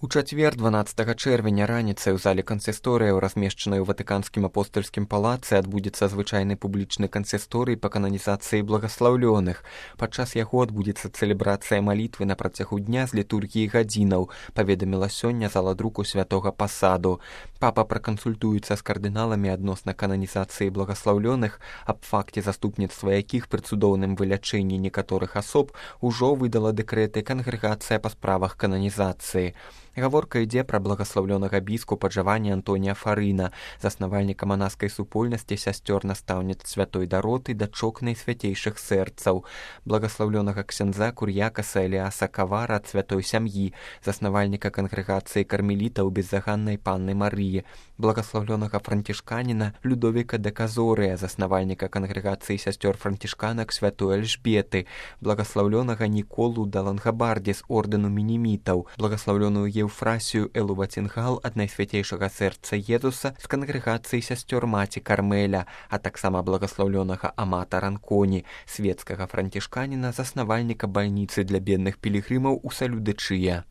У чацвер 12 чэрвеня раніцай у зале кансісторыяў, размешчанай у ватыканскім апостальскім палацы, адбудзецца звычайны публічны кансісторый па кананізацыі благаслаўлёных. Падчас яго адбудзецца цэлебрацыя малітвы на працягу дня з літургіі гадзінаў, паведаміла сёння зала друку святога пасаду. Папа пракансультуецца з кардыналамі адносна кананізацыі благаслаўлёных, аб факце заступніцтва якіх пры цудоўным вылячэнні некаторых асоб ужо выдала дэкрэты кангрэгацыя па справах кананізацыі. Гаворка ідзе пра благаслаўлёнага біскупа Джавані Антонія Фарына, заснавальніка манаскай супольнасці сясцёр настаўніц святой Дароты, дачок найсвяцейшых сэрцаў, благаслаўлёнага ксяндза Кур'якаса Эліаса Кавара ад святой сям'і, заснавальніка кангрэгацыі кармелітаў беззаганнай панны Марыі, благаслаўлёнага францішканіна Людовіка де Казорыя, заснавальніка кангрэгацыі сясцёр францішканак святой Альжбеты, благаслаўлёнага Ніколу Далангабарді з ордэну мінімітаў, благаслаўлёную Еўфрасію Элу Вацінгал ад найсвяцейшага сэрца Езуса з кангрэгацыі сясцёр маці Кармеля, а таксама благаслаўлёнага Амата Ранконі, свецкага францішканіна, заснавальніка бальніцы для бедных пілігрымаў у Салюдычыя.